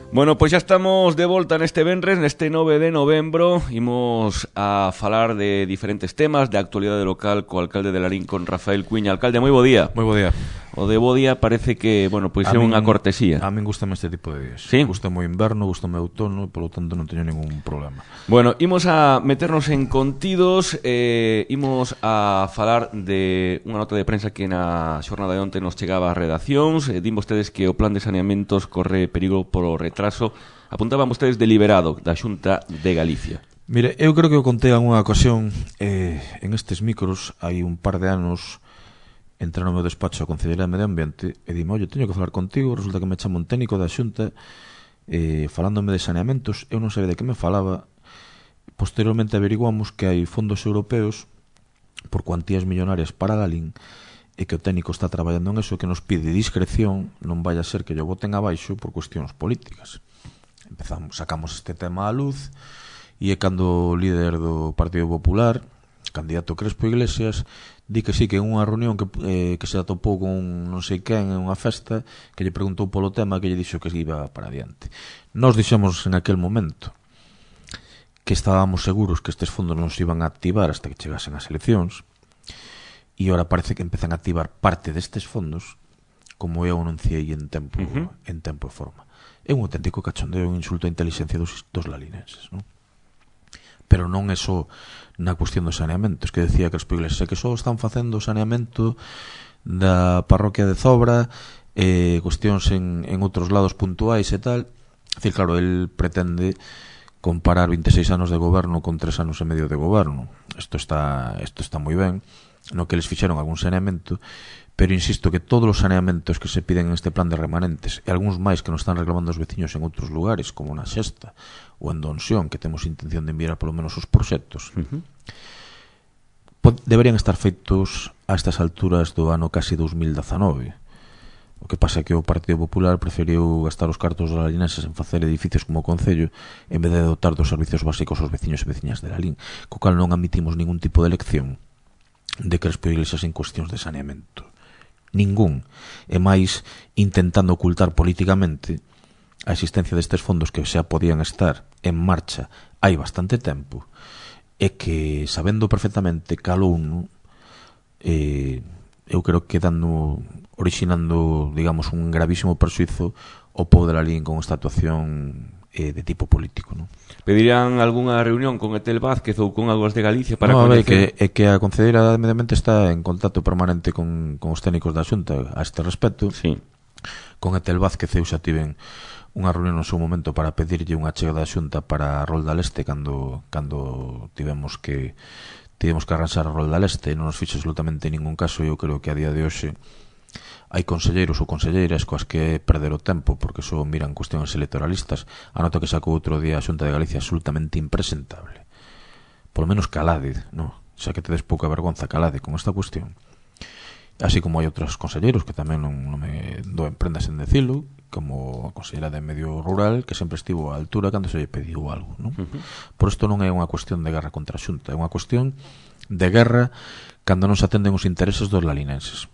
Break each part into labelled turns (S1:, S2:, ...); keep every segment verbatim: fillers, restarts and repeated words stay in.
S1: Bueno, pois xa estamos de volta neste venres, neste nove de novembro. Imos a falar de diferentes temas de actualidade local co alcalde de Lalín, con Rafael Cuiña. Alcalde, moi bo día.
S2: Moi bo día.
S1: O de bo día parece que, bueno, pois é unha cortesía.
S2: A min gustame este tipo de días.
S1: Sí?
S2: Gustame o inverno, gustame o outono, e polo tanto non teño ningún problema.
S1: Bueno, imos a meternos en contidos, eh, imos a falar de unha nota de prensa que na xornada de onte nos chegaba a redaccións. Eh, din vostedes que o plan de saneamentos corre perigo polo retraso. Apuntaban vostedes deliberado da Xunta de Galicia.
S2: Mire, eu creo que o contei en unha ocasión eh, en estes micros, hai un par de anos. Entré no meu despacho a Concellería de Medio Ambiente e dime, oye, teño que falar contigo. Resulta que me chama un técnico da Xunta eh, falándome de saneamentos. Eu non sabía de que me falaba. Posteriormente averiguamos que hai fondos europeos por cuantías millonarias para Lalín e que o técnico está traballando en eso, que nos pide discreción, non vaya a ser que yo boten abaixo por cuestións políticas. Empezamos, sacamos este tema á luz e é cando o líder do Partido Popular, candidato Crespo Iglesias, di que sí, que en unha reunión que, eh, que se atopou con non sei quen en unha festa, que lle preguntou polo tema, que lle dixo que iba para adiante. Nós dixemos en aquel momento que estábamos seguros que estes fondos non se iban a activar hasta que chegasen as eleccións, e ora parece que empezan a activar parte destes fondos, como eu anunciei en tempo, uh-huh. en tempo e forma. É un auténtico cachondeo, un insulto á inteligencia dos, dos lalinenses, non? Pero non é só na cuestión dos saneamentos, que decía que os Iglesias, que só están facendo o saneamento da parroquia de Zobra, eh, cuestións en, en outros lados puntuais e tal. É dicir, claro, el pretende comparar veintiséis anos de goberno con tres anos e medio de goberno. Isto está, isto está moi ben, no que eles fixeron algún saneamento, pero insisto que todos os saneamentos que se piden en este plan de remanentes e algúns máis que nos están reclamando os veciños en outros lugares, como na Xesta ou en Donsión, que temos intención de enviar polo menos os proxectos, uh-huh. deberían estar feitos a estas alturas do ano casi dos mil dezanove. O que pasa é que o Partido Popular preferiu gastar os cartos dos lalinenses en facer edificios como o Concello en vez de dotar dos servicios básicos aos veciños e veciñas de Lalín, co cal non admitimos ningún tipo de elección de Crespo Iglesias en cuestións de saneamento. Ningún. E máis intentando ocultar políticamente a existencia destes fondos que xa podían estar en marcha hai bastante tempo, e que sabendo perfectamente cal uno, eh, eu creo que dando, originando, digamos, un gravísimo persuizo ao povo de Lalín con esta actuación eh, de tipo político, non?
S1: Pedirían algunha reunión con Etel Vázquez ou con Aguas de Galicia para
S2: no,
S1: coñecer?
S2: É que, é que a Concelleira de Medio Ambiente está en contacto permanente con, con os técnicos da Xunta a este respecto.
S1: Sí.
S2: Con Etel Vázquez eu xa tiven unha reunión no seu momento para pedirlle unha chega da Xunta para a Rolda Leste cando, cando tivemos que tivemos que arranxar a Rolda Leste, non nos fixe absolutamente ningún caso. Eu creo que a día de hoxe hai conselleiros ou conselleiras coas que perder o tempo porque só miran cuestións electoralistas. A nota que sacou outro día a Xunta de Galicia absolutamente impresentable. Polo menos calade, no? Xa que tedes pouca vergonza, calade con esta cuestión. Así como hai outros conselleiros que tamén non, non me doen prendas en decilo, como a consellera de Medio Rural, que sempre estivo á altura cando se lle pediu algo, non? Uh-huh. Por isto non é unha cuestión de guerra contra a Xunta, é unha cuestión de guerra cando non se atenden os intereses dos lalinenses.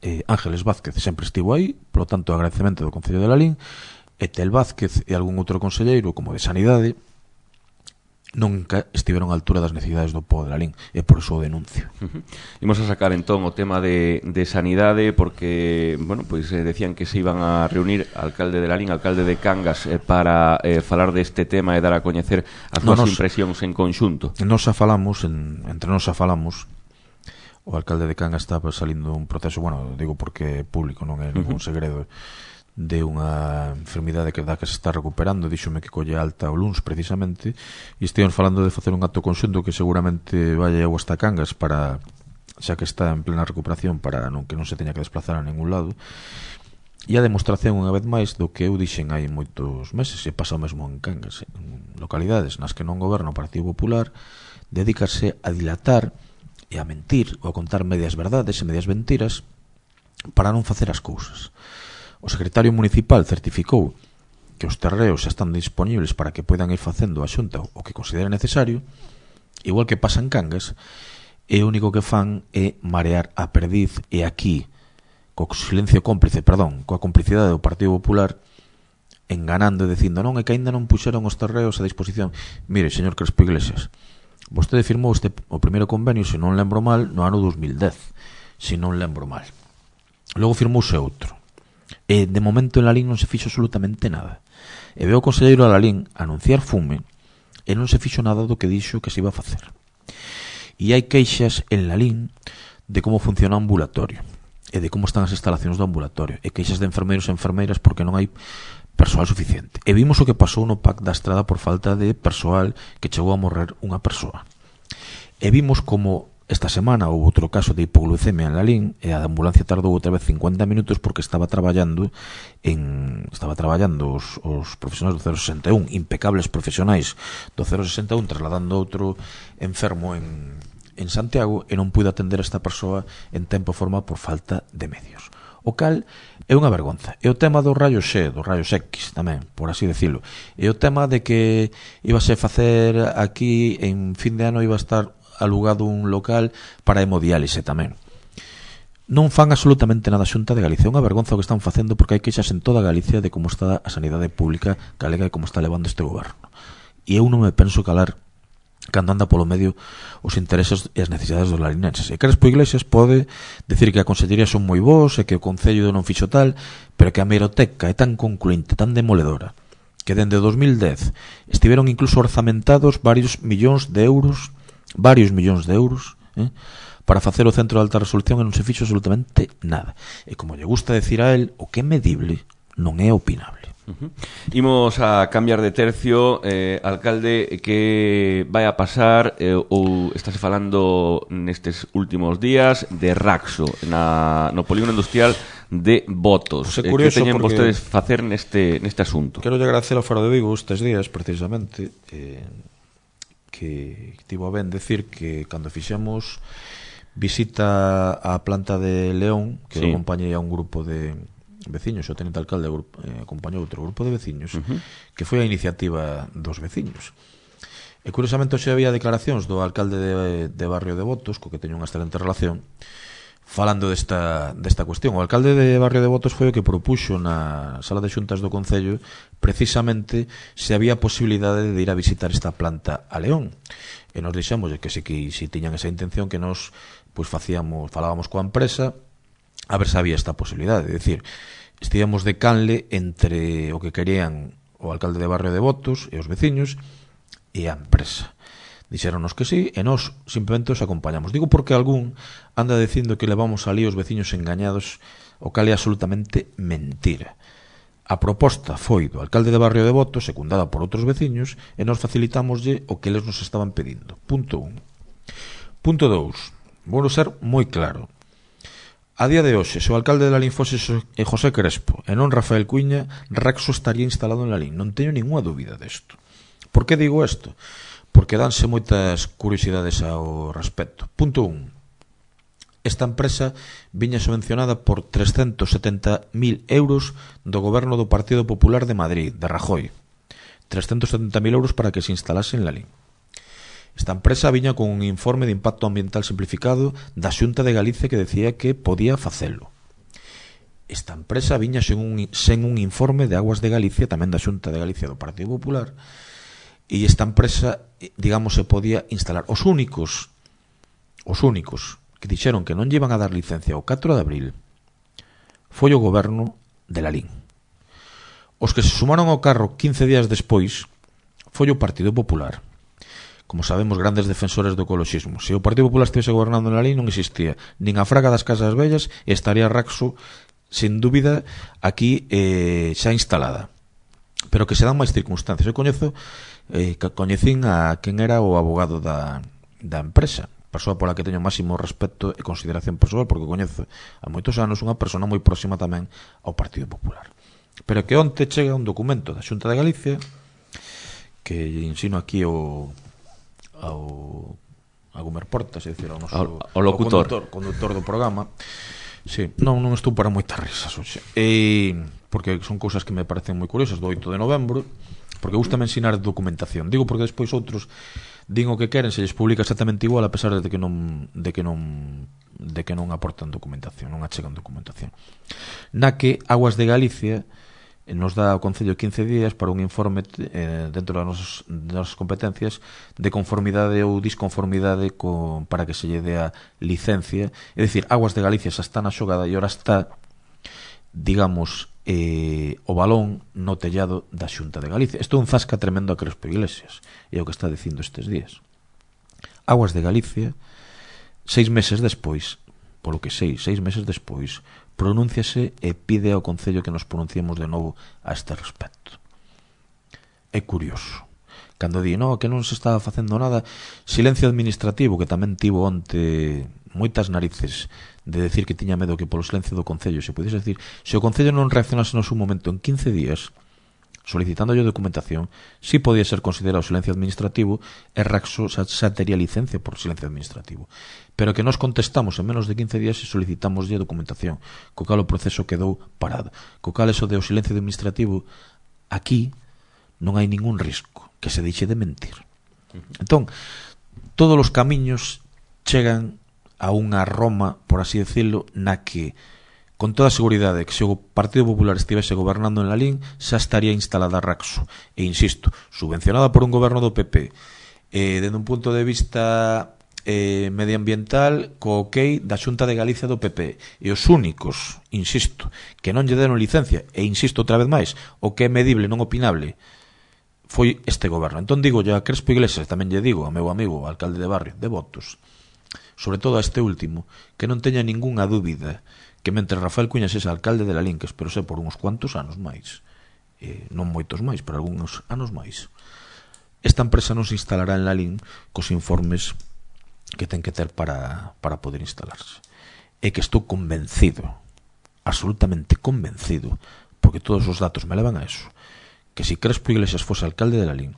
S2: Eh, Ángeles Vázquez sempre estivo aí, polo tanto agradecemento do Concello de Lalín. Etel Vázquez e algún outro conselleiro como de Sanidade nunca estiveron á altura das necesidades do povo de Lalín, e por iso o denuncio.
S1: Uh-huh. Imos a sacar entón o tema de, de Sanidade, porque, bueno, pois pues, eh, decían que se iban a reunir alcalde de Lalín, alcalde de Cangas, eh, para eh, falar deste tema e dar a coñecer as no, súas impresións en conxunto.
S2: Nos xa falamos, en, entre nos xa falamos. O alcalde de Cangas está salindo un proceso, bueno, digo porque é público, non é ningún segredo, de unha enfermidade que da que se está recuperando. Díxome que colle alta o luns precisamente, e estivemos falando de facer un acto conxunto que seguramente vai a hasta Cangas para, xa que está en plena recuperación, para non que non se teña que desplazar a ningún lado. E a demostración unha vez máis do que eu dixen hai moitos meses, e pasa o mesmo en Cangas, en localidades nas que non goberna o Partido Popular, dedícase a dilatar e a mentir ou a contar medias verdades e medias mentiras para non facer as cousas. O secretario municipal certificou que os terreos xa están disponibles para que poidan ir facendo a Xunta o que considere necesario, igual que pasa en Cangas, e o único que fan é marear a perdiz. E aquí, co silencio cómplice, perdón, coa complicidade do Partido Popular, enganando e dicindo non, é que aínda non puxeron os terreos a disposición. Mire, señor Crespo Iglesias, vostede firmou este, o primeiro convenio, se non lembro mal, no ano dos mil dez, se non lembro mal. Logo firmouse outro. E de momento en Lalín non se fixo absolutamente nada. E veo o conselleiro Lalín anunciar fume e non se fixo nada do que dixo que se iba a facer. E hai queixas en Lalín de como funciona o ambulatorio e de como están as instalacións do ambulatorio, e queixas de enfermeiros e enfermeiras porque non hai persoal suficiente. E vimos o que pasou no P A C da Estrada por falta de persoal, que chegou a morrer unha persoa. E vimos como esta semana houve outro caso de hipoglucemia en Lalín e a ambulancia tardou outra vez cincuenta minutos porque estaba traballando en estaba traballando os, os profesionais do cero sesenta e un, impecables profesionais do cero sesenta e un, trasladando outro enfermo en, en Santiago, e non pude atender a esta persoa en tempo e forma por falta de medios. O cal é unha vergonza. E o tema dos rayos X, dos rayos X tamén, por así decirlo. E o tema de que íbase a facer aquí en fin de ano, iba a estar alugado un local para hemodiálise tamén. Non fan absolutamente nada a Xunta de Galicia. É unha vergonza o que están facendo, porque hai queixas en toda Galicia de como está a sanidade pública galega e como está levando este goberno. E eu non me penso calar cando anda polo medio os intereses e as necesidades dos larinenses. E Crespo Iglesias pode decir que a consellería son moi bons e que o Concello non fixo tal, pero que a hemeroteca é tan concluinte, tan demoledora, que dende dos mil dez estiveron incluso orzamentados varios millóns de euros varios millóns de euros eh, para facer o centro de alta resolución, e non se fixo absolutamente nada. E como lle gusta decir a él, o que é medible non é opinable.
S1: Uh-huh. Imos a cambiar de tercio. eh, Alcalde, que vai a pasar eh, ou estáse falando nestes últimos días de Raxo na, no polígono industrial de Botos? Eh, que teñen vostedes facer neste, neste asunto?
S2: Quero lle agradecer ao Faro de Vigo estes días, precisamente, eh, que tivo a ben decir que cando fixemos visita á planta de León, que sí, acompañei a un grupo de veciños, o tenente alcalde eh, acompañou outro grupo de veciños, uh-huh, que foi a iniciativa dos veciños. E curiosamente hoxe había declaracións do alcalde de, de Barrio de Botos, co que teño unha excelente relación, falando desta, desta cuestión. O alcalde de Barrio de Botos foi o que propuxo na sala de xuntas do Concello precisamente se había posibilidade de ir a visitar esta planta a León. E nos dixemos que se, que se tiñan esa intención, que nos pois facíamos, falábamos coa empresa a ver se había esta posibilidade. É dicir, estivemos de canle entre o que querían o alcalde de Barrio de Botos e os veciños e a empresa. Dixéronos que sí, e nós simplemente os acompañamos. Digo porque algún anda dicindo que levamos ali os veciños engañados, o cal é absolutamente mentira. A proposta foi do alcalde de Barrio de Botos, secundada por outros veciños, e nós facilitámoslle o que eles nos estaban pedindo. Punto un. Punto dous. Vou ser moi claro. A día de hoxe, se o alcalde de Lalín fose José Crespo e non Rafael Cuiña, Raxo estaría instalado en Lalín. Non teño ninguna dúbida desto. Por que digo isto? Porque danse moitas curiosidades ao respecto. Punto un. Esta empresa viña subvencionada por trescentos setenta mil euros do goberno do Partido Popular de Madrid, de Rajoy. trescentos setenta mil euros para que se instalase en Lalín. Esta empresa viña con un informe de impacto ambiental simplificado da Xunta de Galicia que decía que podía facelo. Esta empresa viña sen un, sen un informe de Aguas de Galicia, tamén da Xunta de Galicia do Partido Popular, e esta empresa, digamos, se podía instalar. Os únicos os únicos que dixeron que non llevan a dar licencia o catro de abril foi o goberno de Lalín. Os que se sumaron ao carro quince días despois foi o Partido Popular. Como sabemos, grandes defensores do ecoloxismo. Se o Partido Popular estivese gobernando en Lalín, non existía nin a Fraga das Casas Vellas e estaría Raxo, sin dúbida, aquí eh, xa instalada. Pero que se dan máis circunstancias. Eu coñezo Eh, coñecín a quen era o abogado da, da empresa, persoa pola que teño máximo respeto e consideración persoal, porque coñezo a moitos anos unha persona moi próxima tamén ao Partido Popular. Pero que onte chega un documento da Xunta de Galicia que ensino aquí ao ao a Gumer Portas, é dicir, ao noso
S1: ao, ao locutor,
S2: conductor, conductor do programa. Sí, non, non estou para moitas risas hoxe. E porque son cousas que me parecen moi curiosas, do oito de novembro, porque gusta ensinar documentación. Digo porque despois outros din o que queren, se lles publica exactamente igual, a pesar de que non de que non de que non aportan documentación, non achegan documentación. Na que Aguas de Galicia nos dá ao Concello quince días para un informe eh, dentro das nosas, das nosas competencias de conformidade ou disconformidade con, para que se lle dea licencia. É dicir, Aguas de Galicia xa está na xogada e ora está, digamos, eh, o balón no tellado da Xunta de Galicia. Isto é un zasca tremendo a Crespo Iglesias, é o que está dicindo estes días. Aguas de Galicia, seis meses despois, polo que sei, seis meses despois, pronúnciase e pide ao Concello que nos pronunciemos de novo a este respecto. É curioso. Cando di, no, que non se estaba facendo nada, silencio administrativo, que tamén tivo onte moitas narices de decir que tiña medo que polo silencio do Concello se pudiese decir, se o Concello non reaccionase no seu momento en quince días, solicitándolle documentación, si podía ser considerado silencio administrativo e Raxo xa, xa tería licencia por silencio administrativo. Pero que nos contestamos en menos de quince días e solicitámoslle documentación, co cal o proceso quedou parado. Co cal eso de o silencio administrativo, aquí non hai ningún risco que se deixe de mentir. Entón, todos os camiños chegan a unha Roma, por así decirlo, na que con toda a seguridade que se o Partido Popular estivese gobernando en Lalín xa estaría instalada Raxo, e insisto, subvencionada por un goberno do P P, eh, dende un punto de vista eh, medioambiental co ok da Xunta de Galicia do P P, e os únicos, insisto, que non lle deron licencia, e insisto outra vez máis, o que é medible, non opinable, foi este goberno. Entón digo a Crespo Iglesias, tamén lle digo ao meu amigo, o alcalde de barrio, de Votos, sobre todo a este último, que non teña ningunha dúbida que mentre Rafael Cuñas é alcalde de Lalín, que espero ser por uns cuantos anos máis, eh, non moitos máis, pero algúns anos máis, esta empresa non se instalará en Lalín cos informes que ten que ter para, para poder instalarse. E que estou convencido, absolutamente convencido, porque todos os datos me levan a eso, que se Crespo Iglesias fose alcalde de Lalín,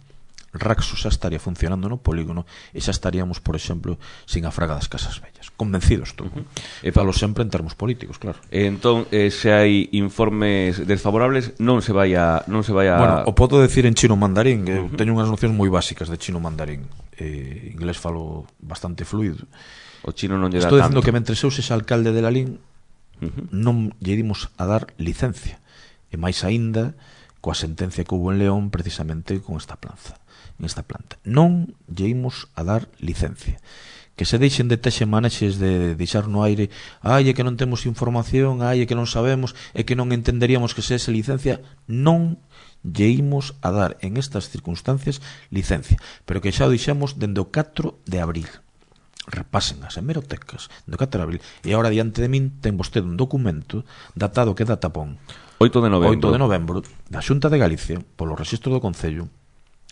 S2: Raxo xa estaría funcionando no polígono e xa estaríamos, por exemplo, sin a fraga das casas vellas. Convencido estou. Uh -huh. E falo sempre en termos políticos, claro.
S1: E entón, eh, se hai informes desfavorables, non se vai a... Non se vai a...
S2: Bueno, o podo decir en chino mandarín, que uh -huh. teño unhas nocións moi básicas de chino mandarín. Eh, inglés falo bastante fluido.
S1: O chino non lle dá
S2: Estou
S1: tanto.
S2: dicindo que mentre eu sexa alcalde de Lalín, uh -huh. non lle dimos a dar licencia. E máis aínda coa sentencia que houve en León precisamente con esta planza. Nesta planta. Non lle imos a dar licencia. Que se deixen de texe manexes de deixar no aire, ai, é que non temos información, ai, é que non sabemos, é que non entenderíamos que se ese licencia. Non lle imos a dar en estas circunstancias licencia. Pero que xa o dixemos dende o catro de abril. Repasen as hemerotecas dende o catro de abril. E agora diante de min ten vostede un documento datado que data pon
S1: oito de novembro.
S2: oito de novembro da Xunta de Galicia, polo rexistro do Concello,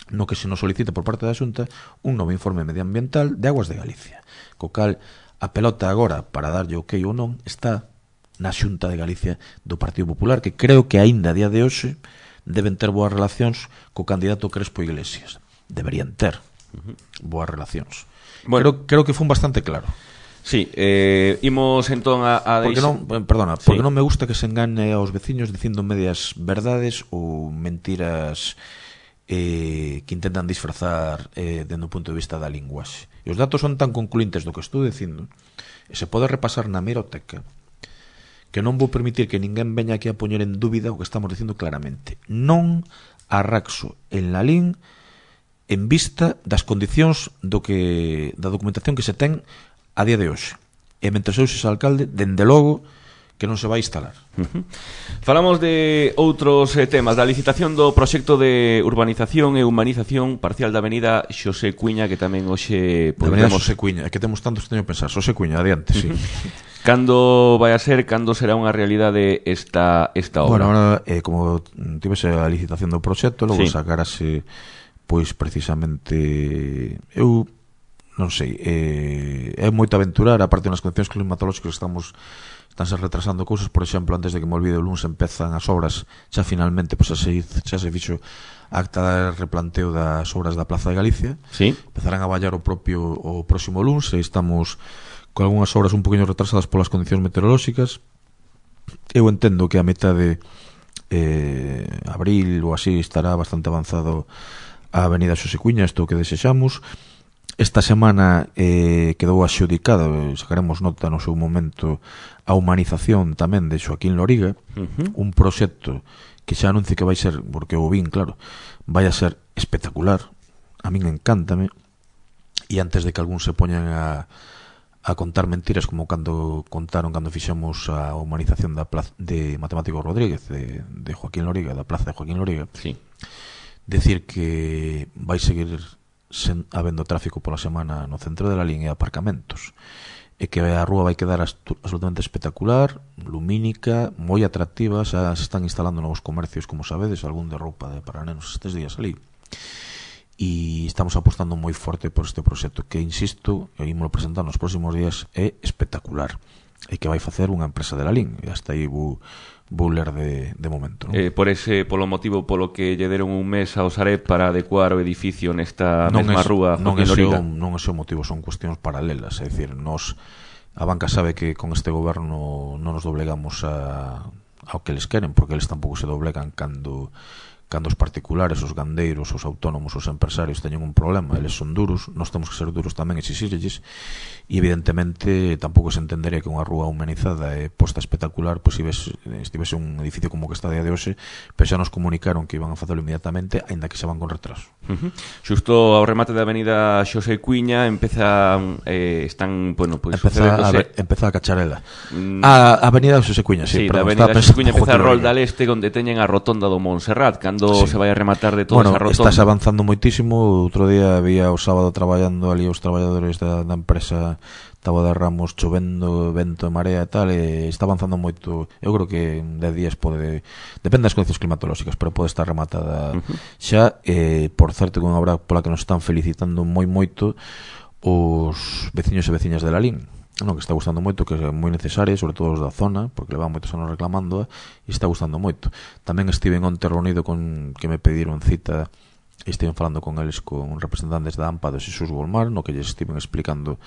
S2: no que se nos solicita por parte da Xunta un novo informe medioambiental de Aguas de Galicia, co cal a pelota agora para darlle ok ou non está na Xunta de Galicia do Partido Popular, que creo que aínda a día de hoxe deben ter boas relacións co candidato Crespo Iglesias. Deberían ter boas relacións. Bueno, creo, creo que fue bastante claro.
S1: Sí, eh, imos entón a, a
S2: porque non, perdona, porque sí. non me gusta que se engane aos veciños dicindo medias verdades ou mentiras eh, que intentan disfrazar eh, dende o punto de vista da linguaxe. E os datos son tan concluintes do que estou dicindo, e se pode repasar na hemeroteca, que non vou permitir que ninguén veña aquí a poñer en dúbida o que estamos dicindo claramente. Non arraxo en Lalín en vista das condicións do que da documentación que se ten a día de hoxe. E mentre eu sexa alcalde, dende logo que non se vai instalar.
S1: Uh-huh. Falamos de outros eh, temas, da licitación do proxecto de urbanización e humanización parcial da avenida Xosé Cuíña, que tamén hoxe
S2: podemos... Xosé Cuíña, é que temos tantos que teño que pensar. Xosé Cuíña, adiante, sí.
S1: Cando vai a ser, cando será unha realidade esta, esta obra?
S2: Bueno, ahora, eh, como tivese a licitación do proxecto, logo sí. sacarase, pois, precisamente... Eu... non sei, eh, é moito aventurar, aparte nas condicións climatolóxicas que estamos estánse retrasando cousas, por exemplo, antes de que me olvide o lunes empezan as obras, xa finalmente pois, xa, se, xa se fixo acta de replanteo das obras da Plaza de Galicia,
S1: sí.
S2: empezarán a vallar o propio o próximo lunes, e estamos con algunhas obras un poquinho retrasadas polas condicións meteorolóxicas. Eu entendo que a metade eh, abril ou así estará bastante avanzado a avenida Xosé Cuíña, isto que desexamos. esta semana eh, quedou axudicada, sacaremos nota no seu momento, a humanización tamén de Joaquín Loriga, uh-huh. un proxecto que xa anuncio que vai ser, porque o vin, claro, vai a ser espectacular, a min encántame, e antes de que algún se poñan a, a contar mentiras como cando contaron cando fixemos a humanización da plaza de Matemático Rodríguez, de, de Joaquín Loriga, da plaza de Joaquín Loriga,
S1: sí.
S2: Decir que vai seguir sen, habendo tráfico pola semana no centro de la línea de aparcamentos, e que a rúa vai quedar absolutamente espectacular, lumínica, moi atractiva. Xa se están instalando novos comercios, como sabedes, algún de roupa de para nenos estes días ali, e estamos apostando moi forte por este proxecto que, insisto, e ímolo presentar nos próximos días, é espectacular e que vai facer unha empresa de la L I N, e hasta aí vou, vou ler de, de momento, non?
S1: Eh, por ese, polo motivo polo que lle deron un mes ao Sareb para adecuar o edificio nesta
S2: non
S1: mesma
S2: es,
S1: rúa
S2: non
S1: Joaquín Loriga.
S2: Non é o motivo, son cuestións paralelas, é dicir, nos, a banca sabe que con este goberno non nos doblegamos a, ao que les queren, porque eles tampouco se doblegan cando cando os particulares, os gandeiros, os autónomos, os empresarios teñen un problema, eles son duros, nós temos que ser duros tamén, exixirlles, e evidentemente tampouco se entendería que unha rúa humanizada e posta espectacular pois pues, estivese un edificio como que está a día de hoxe, pero xa nos comunicaron que iban a facelo inmediatamente, aínda que xa van con retraso.
S1: Uh-huh. Xusto ao remate da avenida Xosé Cuiña empeza eh, están, bueno, pois pues,
S2: empeza, a, empeza a cacharela. Mm. A avenida Xosé Cuiña, sí,
S1: sí,
S2: perdón,
S1: da avenida Xosé Cuiña empeza a rolda al este, onde teñen a rotonda do Montserrat, cando sí. se vai a rematar de toda
S2: bueno,
S1: esa rotonda.
S2: Estás avanzando moitísimo. Outro día había o sábado traballando ali os traballadores da, da empresa Tabo de Ramos, chovendo, vento e marea e tal, e está avanzando moito. Eu creo que en dez días pode, depende das condicións climatolóxicas, pero pode estar rematada uh-huh. xa. eh, por certo, que unha obra pola que nos están felicitando moi moito os veciños e veciñas de la L I N, no, que está gustando moito, que é moi necesaria, sobre todo os da zona, porque levan moitos anos reclamando, e está gustando moito. Tamén estive onte reunido con que me pediron cita, e estive falando con eles, con representantes da AMPA de Xesús Golmar, no que lles estiven explicando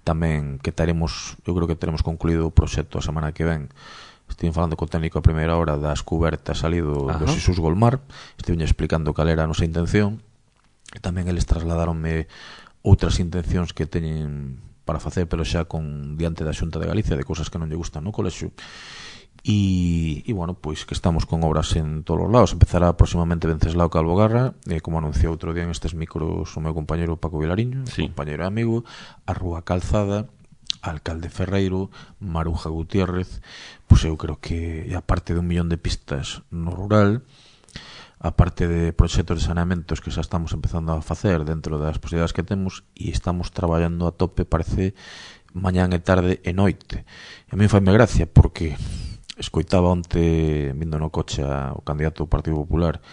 S2: tamén que teremos, eu creo que teremos concluído o proxecto a semana que ven. Estive falando co técnico a primeira hora das cubertas salido do Xesús Golmar, estive explicando cal era a nosa intención, e tamén eles trasladaronme outras intencións que teñen para facer, pero xa con diante da Xunta de Galicia, de cousas que non lle gustan no colexio. E, e bueno, pois que estamos con obras en todos os lados. Empezará próximamente Venceslao Calvogarra, eh, como anunciou outro día en estes micros o meu compañeiro Paco Vilariño, sí. compañeiro e amigo, a Rúa Calzada, Alcalde Ferreiro, Maruja Gutiérrez, pois eu creo que, aparte de un millón de pistas no rural, aparte de proxectos de saneamentos que xa estamos empezando a facer dentro das posibilidades que temos, e estamos traballando a tope, parece, mañán e tarde e noite. E a mí faime gracia, porque escoitaba onte, vindo no coche o candidato do Partido Popular,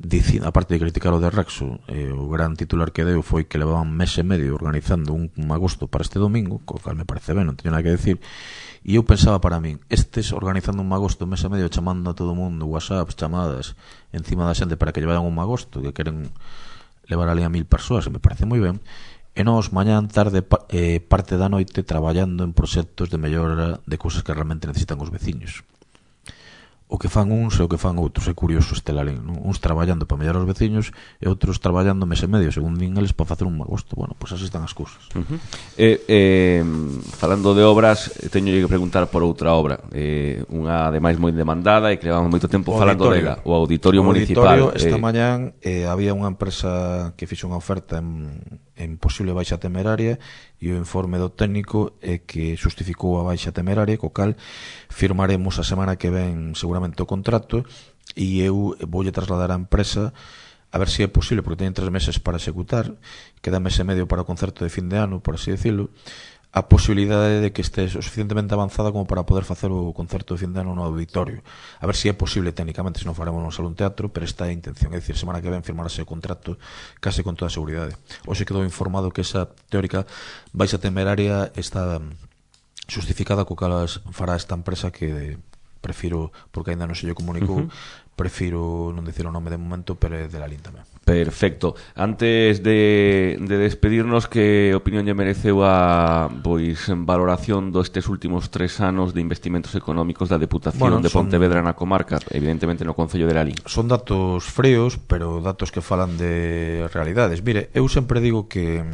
S2: dicindo, aparte de criticar o de Rexo, eh, o gran titular que deu foi que levaban mes e medio organizando un, un agosto para este domingo, co cal me parece ben, non teño nada que decir. E eu pensaba para min, estes organizando un magosto mes e medio, chamando a todo o mundo, whatsapps, chamadas encima da xente para que llevaran un magosto, que queren levar ali a mil persoas, e me parece moi ben. E nós, mañán, tarde, eh, parte da noite, traballando en proxectos de mellora de cousas que realmente necesitan os veciños. O que fan uns e o que fan outros, é curioso este lalín, non? Uns traballando para mellorar os veciños e outros traballando mes e medio, según din eles, para facer un magosto. Bueno, pois así están as cousas.
S1: Uh-huh. eh, eh, falando de obras, teño que preguntar por outra obra, eh, unha ademais moi demandada e que levamos moito tempo o falando dela, o Auditorio o Municipal.
S2: Auditorio, esta eh... mañán eh, había unha empresa que fixo unha oferta en, en posible baixa temeraria, e o informe do técnico é que justificou a baixa temeraria, co cal firmaremos a semana que ven seguramente o contrato, e eu voulle trasladar á empresa a ver se é posible, porque teñen tres meses para executar, queda mes e medio para o concerto de fin de ano, por así decirlo, a posibilidade de que este o suficientemente avanzada como para poder facer o concerto de fin de ano no auditorio. A ver se é posible técnicamente, se non faremos no salón teatro, pero esta é a intención, é dicir, semana que ven firmarase o contrato case con toda a seguridade. Hoxe quedou informado que esa teórica baixa temeraria está justificada, co cal fará esta empresa que prefiro, porque ainda non se lle comunicou, uh-huh. prefiro non dicir o nome de momento, pero é de la L I N tamén.
S1: Perfecto. Antes de, de despedirnos, que opinión lle mereceu a pois valoración destes últimos tres anos de investimentos económicos da Deputación bueno, de Pontevedra son, na comarca, evidentemente no Concello de la L I N?
S2: Son datos fríos, pero datos que falan de realidades. Mire, eu sempre digo que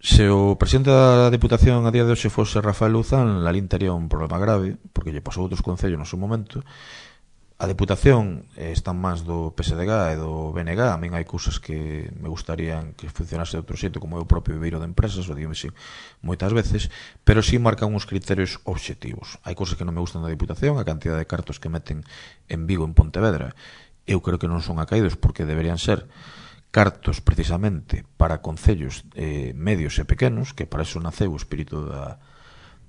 S2: Se o presidente da Deputación a día de hoxe fose Rafael Luzán, Lalín tería un problema grave, porque lle pasou outros concellos no seu momento. A Deputación eh, está máis do P S D G e do B N G. A min hai cousas que me gustarían que funcionase de outro xeito, como é o propio viveiro de empresas, o digo así moitas veces, pero sí marcan uns criterios obxectivos. Hai cousas que non me gustan da Deputación, a cantidad de cartos que meten en Vigo, en Pontevedra. Eu creo que non son acaídos, porque deberían ser cartos precisamente para concellos eh, medios e pequenos, que para iso naceu o espírito da,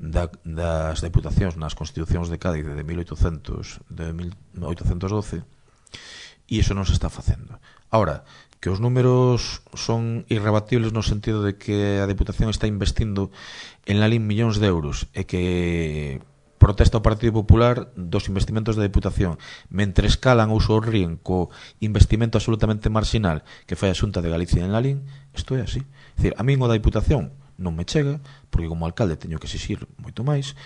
S2: da, das deputacións nas constitucións de Cádiz de mil oitocentos doce, e iso non se está facendo. Ahora, que os números son irrebatibles no sentido de que a Deputación está investindo en Lalín millóns de euros e que protesta o Partido Popular dos investimentos da Deputación, mentre escalan ou sorríen co investimento absolutamente marginal que fai a Xunta de Galicia en Lalín. Isto é así. É dicir, a min o da Deputación non me chega, porque como alcalde teño que exixir moito máis.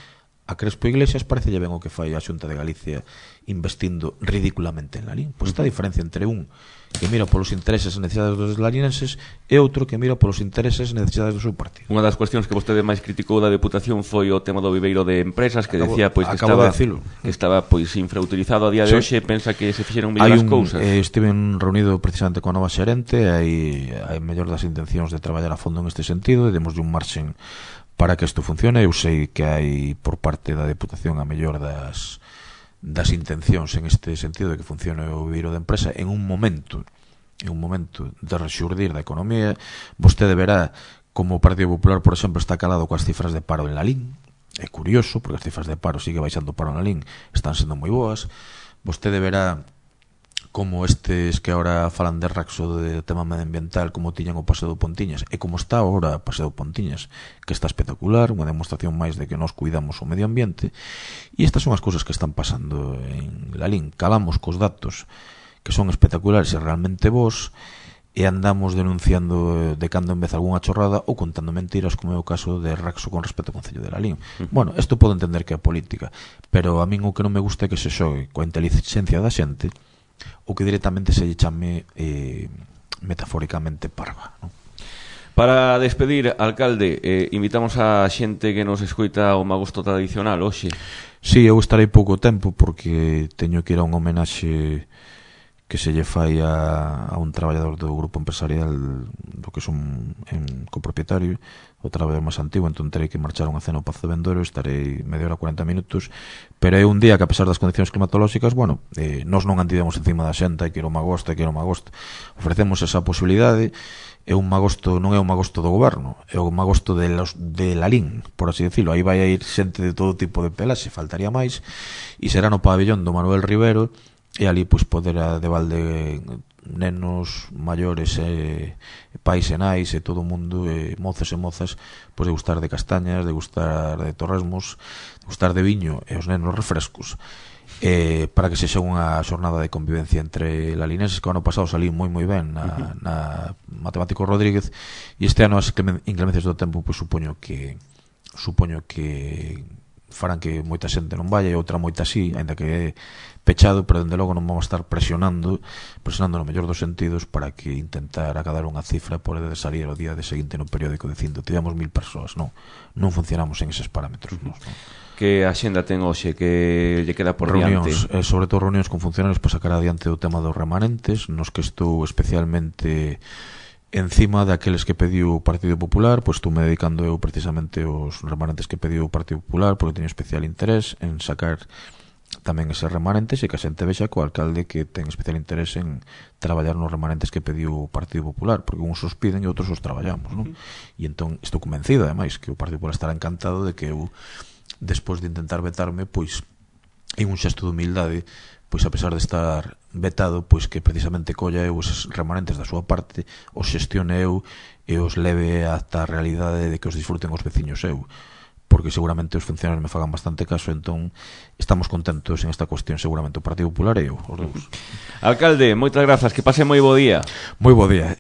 S2: A Crespo Iglesias parece ben o que fai a Xunta de Galicia investindo ridículamente en Lalín. Pois está a diferencia entre un que mira polos intereses e necesidades dos lalinenses e outro que mira polos intereses e necesidades do seu partido.
S1: Unha das cuestións que vostede máis criticou da Deputación foi o tema do viveiro de empresas, que
S2: acabo,
S1: decía pois que estaba de que estaba pois infrautilizado a día de hoxe. Pensa que se fixeron mellor as cousas?
S2: Eh, estive reunido precisamente con a nova xerente, hai hai mellor das intencións de traballar a fondo en este sentido e demoslle un marxen para que isto funcione. Eu sei que hai por parte da Deputación a mellor das das intencións en este sentido de que funcione o viveiro de empresa en un momento en un momento de rexurdir da economía. Vostede verá como o Partido Popular, por exemplo, está calado coas cifras de paro en Lalín. É curioso, porque as cifras de paro sigue baixando o paro en Lalín, están sendo moi boas. Vostede verá como estes que agora falan de Raxo, de tema medioambiental, como tiñan o Paseo do Pontiñas e como está agora o Paseo do Pontiñas, que está espectacular, unha demostración máis de que nos cuidamos o medio ambiente. E estas son as cousas que están pasando en Lalín. Calamos cos datos que son espectaculares e realmente bons, e andamos denunciando de cando en vez algunha chorrada ou contando mentiras, como é o caso de Raxo con respecto ao Concello de Lalín. Uh-huh. Bueno, isto podo entender que é política, pero a min o que non me gusta é que se xogue coa inteligencia da xente ou que directamente se lle chame eh, metafóricamente parva, non?
S1: Para despedir, alcalde, eh, invitamos a xente que nos escoita o magosto tradicional hoxe.
S2: Si, sí, eu estarei pouco tempo porque teño que ir a un homenaxe que se lle fai a, a un traballador do grupo empresarial do que son en copropietario, o traballador máis antigo, entón terei que marchar a unha cena ao Pazo de Vendoro, estarei media hora, cuarenta minutos, pero é un día que, a pesar das condicións climatolóxicas, bueno, eh, nós non andidemos encima da xenta, hai que ir ao magosto, hai que ir ao magosto, ofrecemos esa posibilidade. É un magosto, non é un magosto do goberno, é un magosto de, los, de Lalín, por así decirlo. Aí vai a ir xente de todo tipo de pelaxe, faltaría máis, e será no pabellón do Manuel Rivero, e ali pois poder de balde nenos, maiores, e pais e nais e todo o mundo, e mozos e mozas, pois de gustar de castañas, de gustar de torresmos, de gustar de viño e os nenos refrescos, eh, para que sexa unha xornada de convivencia entre lalinenses, que o ano pasado salí moi moi ben na, na Matemático Rodríguez, e este ano as inclemencias do tempo pois supoño que supoño que farán que moita xente non vaya e outra moita sí, ainda que é pechado, pero dende logo non vamos a estar presionando presionando no mellor dos sentidos para que intentar acadar unha cifra por de salir o día de seguinte no periódico dicindo tivemos mil persoas. Non, non funcionamos en eses parámetros. Non, non.
S1: Que a xenda ten hoxe que lle queda por
S2: reunións,
S1: diante?
S2: Eh, sobre todo reunións con funcionarios para sacar adiante o tema dos remanentes, nos que estou especialmente encima daqueles que pediu o Partido Popular, pois estou me dedicando eu precisamente aos remanentes que pediu o Partido Popular, porque teño especial interés en sacar tamén eses remanentes e que a xente vexa co alcalde que ten especial interés en traballar nos remanentes que pediu o Partido Popular, porque uns os piden e outros os traballamos, non? Uh-huh. E entón estou convencido, ademais, que o Partido Popular estará encantado de que eu, despois de intentar vetarme, pois en un xesto de humildade, pois a pesar de estar vetado, pois que precisamente colla eu eses remanentes da súa parte, os xestione eu e os leve ata a realidade de que os disfruten os veciños eu, porque seguramente os funcionarios me fagan bastante caso, entón estamos contentos en esta cuestión, seguramente o Partido Popular e eu, os dous.
S1: Alcalde, moitas grazas, que pase moi bo día.
S2: Moi bo día.